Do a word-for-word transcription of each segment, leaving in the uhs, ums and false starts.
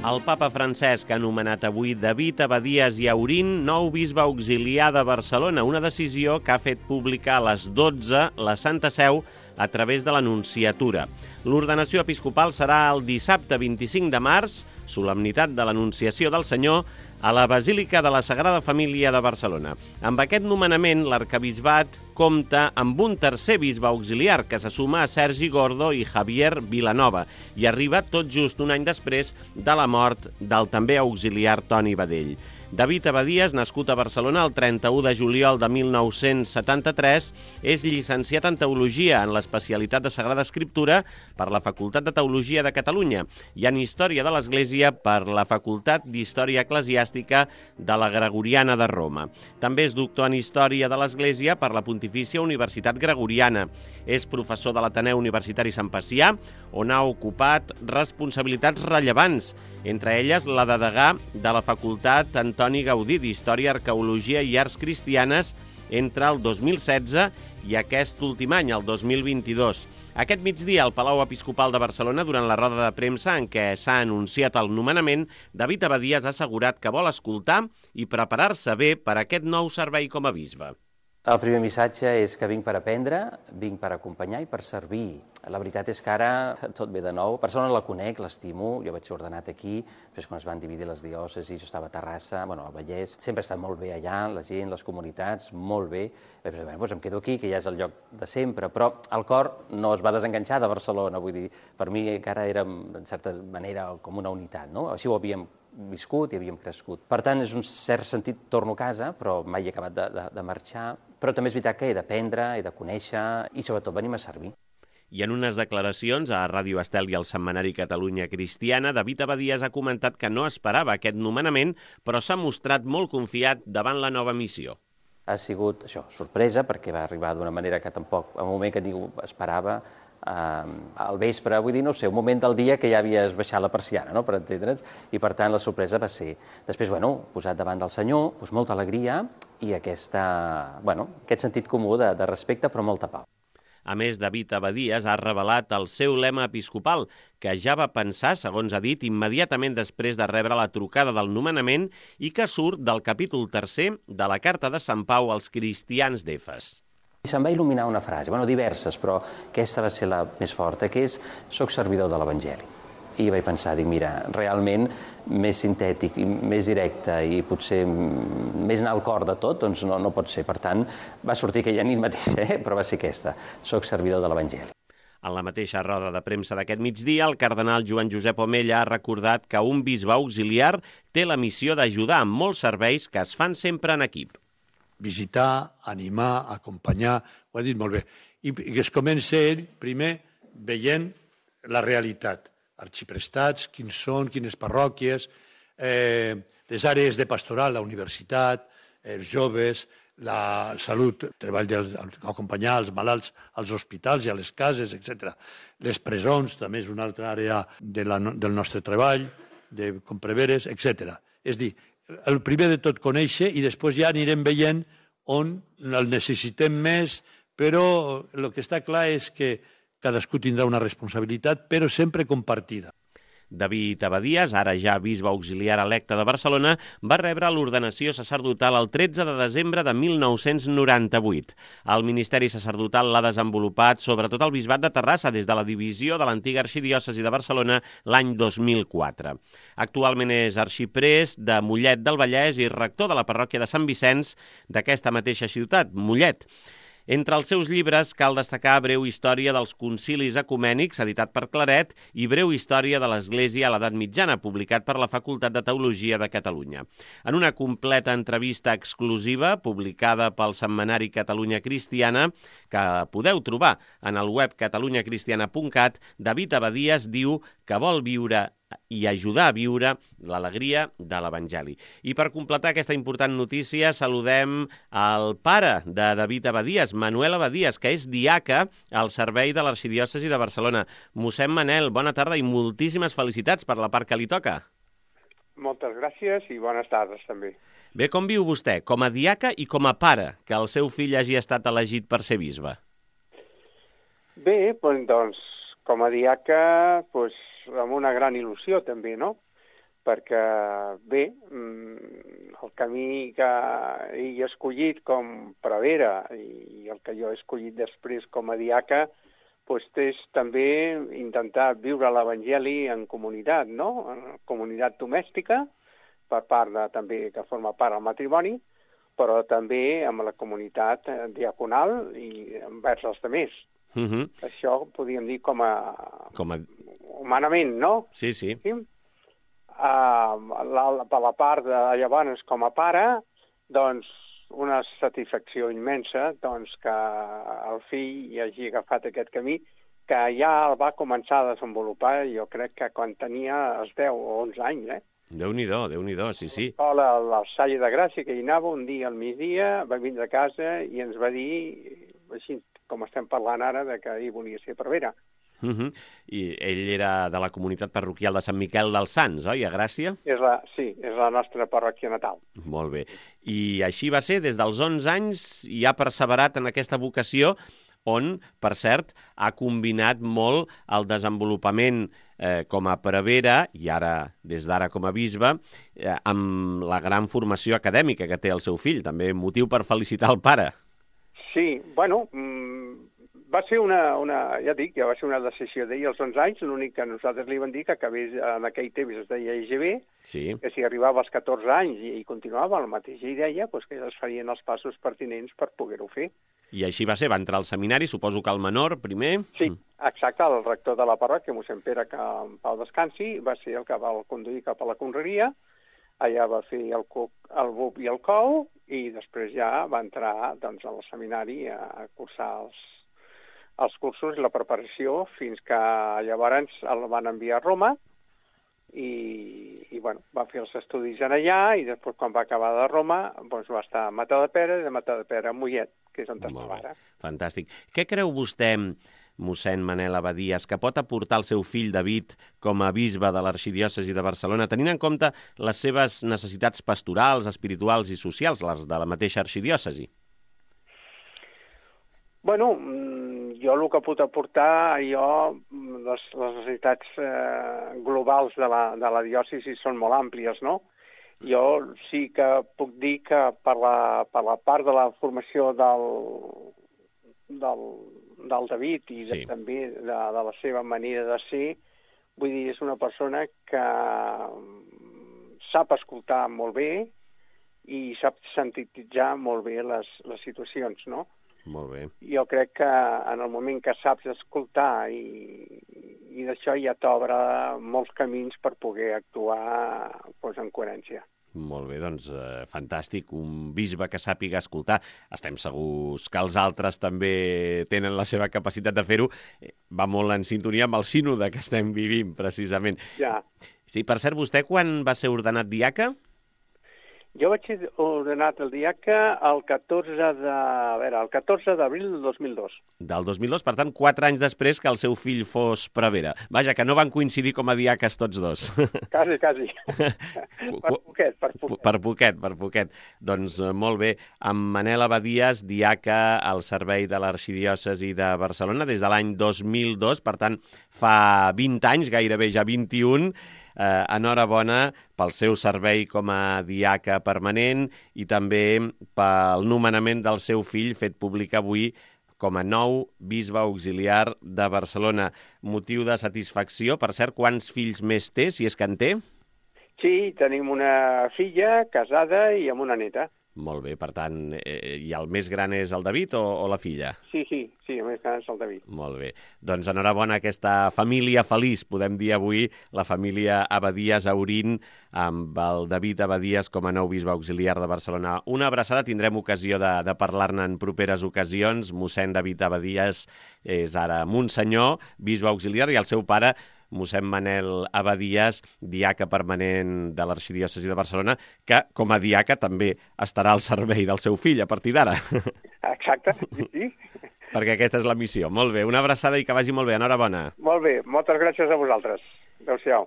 El papa Francesc ha nomenat avui David Abadías i Aurín nou bisbe auxiliar de Barcelona, una decisió que ha fet pública a les dotze la Santa Seu a través de l'Anunciatura. L'ordenació episcopal serà el dissabte vint-i-cinc de març, solemnitat de l'Anunciació del Senyor, a la Basílica de la Sagrada Família de Barcelona. Amb aquest nomenament, l'arquebisbat compta amb un tercer bisbe auxiliar que se suma a Sergi Gordo i Javier Vilanova i arriba tot just un any després de la mort del també auxiliar Toni Badell. David Abadías, nascut a Barcelona el trenta-u de juliol de mil nou-cents setanta-tres, és llicenciat en Teologia en l'especialitat de Sagrada Escriptura per la Facultat de Teologia de Catalunya i en Història de l'Església per la Facultat d'Història Eclesiàstica de la Gregoriana de Roma. També és doctor en Història de l'Església per la Pontifícia Universitat Gregoriana. És professor de l'Ateneu Universitari Sant Pacià, on ha ocupat responsabilitats rellevants, entre elles la de degà de la Facultat Antoni Gaudí d'Història, Arqueologia i Arts Cristianes entre el dos mil setze i aquest últim any, el dos mil vint-i-dos. Aquest migdia, al Palau Episcopal de Barcelona, durant la roda de premsa en què s'ha anunciat el nomenament, David Abadías ha assegurat que vol escoltar i preparar-se bé per a aquest nou servei com a bisbe. El primer missatge és que vinc per aprendre, vinc per acompanyar i per servir. La veritat és que ara tot ve de nou. La persona la conec, l'estimo, jo vaig ser ordenat aquí, després quan es van dividir les diòcesis, jo estava a Terrassa, bueno, al Vallès, sempre ha estat molt bé allà, la gent, les comunitats, molt bé. Vaig dir, bueno, doncs em quedo aquí, que ja és el lloc de sempre, però el cor no es va desenganxar de Barcelona, vull dir, per mi encara era, en certa manera, com una unitat, no? Així ho havíem viscut i havíem crescut. Per tant, és un cert sentit, torno a casa, però mai he acabat de, de, de marxar, però també és veritat que he d'aprendre, he de conèixer i sobretot venim a servir. I en unes declaracions a Ràdio Estel i al Setmanari Catalunya Cristiana, David Abadías ha comentat que no esperava aquest nomenament, però s'ha mostrat molt confiat davant la nova missió. Ha sigut, això, sorpresa, perquè va arribar d'una manera que tampoc, en un moment que ningú esperava, eh, al vespre, vull dir, no sé, un moment del dia que ja havies baixat la persiana, no?, per entendre'ns, i per tant la sorpresa va ser. Després, bueno, posat davant del Senyor, doncs molta alegria i aquesta, bueno, aquest sentit comú de, de respecte, però molta pau. A més, David Abadías ha revelat el seu lema episcopal, que ja va pensar, segons ha dit, immediatament després de rebre la trucada del nomenament i que surt del capítol tercer de la Carta de Sant Pau als cristians d'Efes. Se'm va il·luminar una frase, bueno, diverses, però aquesta va ser la més forta, que és «Soc servidor de l'Evangeli». I vaig pensar, dic, mira, realment més sintètic i més directe i potser més anar al cor de tot, doncs no, no pot ser. Per tant, va sortir aquella nit mateixa, eh? Però va ser aquesta, soc servidor de l'Evangeli. En la mateixa roda de premsa d'aquest migdia, el cardenal Joan Josep Omella ha recordat que un bisbe auxiliar té la missió d'ajudar amb molts serveis que es fan sempre en equip. Visitar, animar, acompanyar, ho ha dit molt bé. I que es comença ell, primer, veient la realitat. Arxiprestats, quins són, quines parròquies, eh, les àrees de pastoral, la universitat, els joves, la salut, el treball d'acompanyar els malalts als hospitals i a les cases, etcètera. Les presons també és una altra àrea de la, del nostre treball, de compreveres, etcètera. És a dir, el primer de tot conèixer i després ja anirem veient on el necessitem més, però el que està clar és que cadascú tindrà una responsabilitat, però sempre compartida. David Abadías, ara ja bisbe auxiliar electe de Barcelona, va rebre l'ordenació sacerdotal el tretze de desembre de mil nou-cents noranta-vuit. El ministeri sacerdotal l'ha desenvolupat sobretot al bisbat de Terrassa des de la divisió de l'antiga arxidiòcesi de Barcelona l'any dos mil quatre. Actualment és arxiprest de Mollet del Vallès i rector de la parròquia de Sant Vicenç d'aquesta mateixa ciutat, Mollet. Entre els seus llibres cal destacar Breu història dels concilis ecumènics, editat per Claret, i Breu història de l'Església a l'Edat Mitjana, publicat per la Facultat de Teologia de Catalunya. En una completa entrevista exclusiva, publicada pel Setmanari Catalunya Cristiana, que podeu trobar en el web catalunya cristiana punt cat, David Abadías diu que vol viure i ajudar a viure l'alegria de l'Evangeli. I per completar aquesta important notícia, saludem al pare de David Abadías, Manuel Abadías, que és diaca al servei de l'Arxidiòcesi de Barcelona. Mossèn Manel, bona tarda i moltíssimes felicitats per la part que li toca. Moltes gràcies i bones tardes també. Bé, com viu vostè, com a diaca i com a pare, que el seu fill hagi estat elegit per ser bisbe? Bé, doncs, com a diaca, doncs, amb una gran il·lusió també, no? perquè, bé, el camí que he escollit com prevere i el que jo he escollit després com a diaca, doncs és també intentar viure l'Evangeli en comunitat, no? En comunitat domèstica, per part de, també que forma part del matrimoni, però també amb la comunitat diaconal i envers els altres. Uh-huh. Això podríem dir com a... com a... humanament, no? Sí, sí. sí? Uh, la, per la part de llavors com a pare, doncs una satisfacció immensa doncs, que el fill hi hagi agafat aquest camí, que ja el va començar a desenvolupar, jo crec que quan tenia els deu o onze anys, eh? Déu-n'hi-do, Déu-n'hi-do, sí, sí. A la Salle de Gràcia, que hi anava un dia al migdia, va vindre a casa i ens va dir, així com estem parlant ara, de que ell volia ser prevere. Uh-huh. I ell era de la comunitat parroquial de Sant Miquel dels Sants, oi, a Gràcia? És la, sí, és la nostra parròquia natal. Molt bé. I així va ser, des dels onze anys, i ha perseverat en aquesta vocació, on, per cert, ha combinat molt el desenvolupament eh, com a prevere, i ara, des d'ara com a bisbe, eh, amb la gran formació acadèmica que té el seu fill. També motiu per felicitar el pare. Sí, bueno, va ser una, una ja dic, ja va ser una decisió d'ell als onze anys, l'únic que nosaltres li vam dir que acabés en aquell temps es deia I G B, sí. Que si arribava als catorze anys i, i continuava el mateix i deia, doncs que es farien els passos pertinents per poder-ho fer. I així va ser, va entrar al seminari, suposo que al menor, primer. Sí, exacte, el rector de la parròquia, mossèn Pere, que en pau descansi, va ser el que va conduir cap a la conreria, allà va fer el, el B U P i el C O U, i després ja va entrar doncs, al seminari a, a cursar els, els cursos i la preparació, fins que llavors el van enviar a Roma, i, i bueno, va fer els estudis en allà, i després quan va acabar de Roma doncs, va estar a Matadepera, i de Matadepera a Mollet, que és on estava ara. Fantàstic. Què creu vostè, mossèn Manel Abadies, que pot aportar el seu fill David com a bisbe de l'arxidiòcesi de Barcelona, tenint en compte les seves necessitats pastorals, espirituals i socials, les de la mateixa arxidiòcesi? Bueno, jo el que puc aportar, jo, les, les necessitats eh, globals de la, de la diòcesi són molt àmplies, no? Jo sí que puc dir que per la, per la part de la formació del, del, del David i de, sí. també de, de la seva manera de ser, vull dir, és una persona que sap escoltar molt bé i sap sintetitzar molt bé les, les situacions, no? Molt bé. Jo crec que en el moment que saps escoltar i, i d'això ja t'obre molts camins per poder actuar doncs, en coherència. Molt bé, doncs eh, fantàstic, un bisbe que sàpiga escoltar. Estem segurs que els altres també tenen la seva capacitat de fer-ho. Va molt en sintonia amb el sínode que estem vivint, precisament. Ja. Sí, per cert, vostè quan va ser ordenat diaca? Jo vaig ser ordenat el diaca el catorze de, a veure, el catorze d'abril del dos mil dos. Del dos mil dos, per tant, quatre anys després que el seu fill fos prevere. Vaja, que no van coincidir com a diaques tots dos. Quasi, quasi. per poquet, per poquet. Per poquet, per poquet. Doncs molt bé. Amb Manel Abadies, diaca al servei de l'arxidiòcesi de Barcelona des de l'any dos mil dos, per tant, fa vint anys, gairebé ja vint-i-un. Eh, enhorabona pel seu servei com a diaca permanent i també pel nomenament del seu fill fet públic avui com a nou bisbe auxiliar de Barcelona. Motiu de satisfacció. Per cert, quants fills més té, si és que en té? Sí, tenim una filla casada i amb una neta. Molt bé, per tant, eh, i el més gran és el David o, o la filla? Sí, sí, sí, el més gran és el David. Molt bé. Doncs enhorabona a aquesta família feliç, podem dir avui, la família Abadies Aurín, amb el David Abadies com a nou bisbe auxiliar de Barcelona. Una abraçada, tindrem ocasió de, de parlar-ne en properes ocasions. Mossèn David Abadies és ara Monsenyor, bisbe auxiliar, i el seu pare, mossèn Manel Abadies, diaca permanent de l'arxidiòcesi de Barcelona, que com a diaca també estarà al servei del seu fill a partir d'ara. Exacte, sí, sí. Perquè aquesta és la missió. Molt bé, una abraçada i que vagi molt bé. Enhorabona. Molt bé, moltes gràcies a vosaltres. Adéu-siau.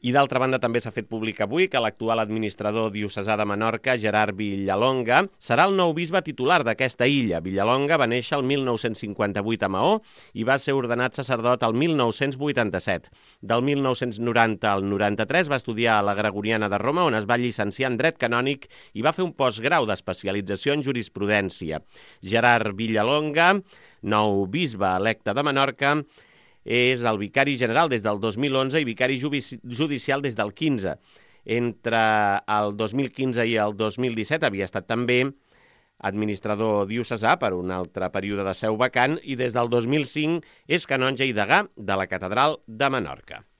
I d'altra banda també s'ha fet públic avui que l'actual administrador diocesà de Menorca, Gerard Villalonga, serà el nou bisbe titular d'aquesta illa. Villalonga va néixer el mil nou-cents cinquanta-vuit a Maó i va ser ordenat sacerdot el mil nou-cents vuitanta-set. Del mil nou-cents noranta al noranta-tres va estudiar a la Gregoriana de Roma, on es va llicenciar en dret canònic i va fer un postgrau d'especialització en jurisprudència. Gerard Villalonga, nou bisbe electe de Menorca, és el vicari general des del dos mil onze i vicari judicial des del quinze. Entre el dos mil quinze i el dos mil disset havia estat també administrador diocesà per un altre període de seu vacant i des del dos mil cinc és canonge i degà de la catedral de Menorca.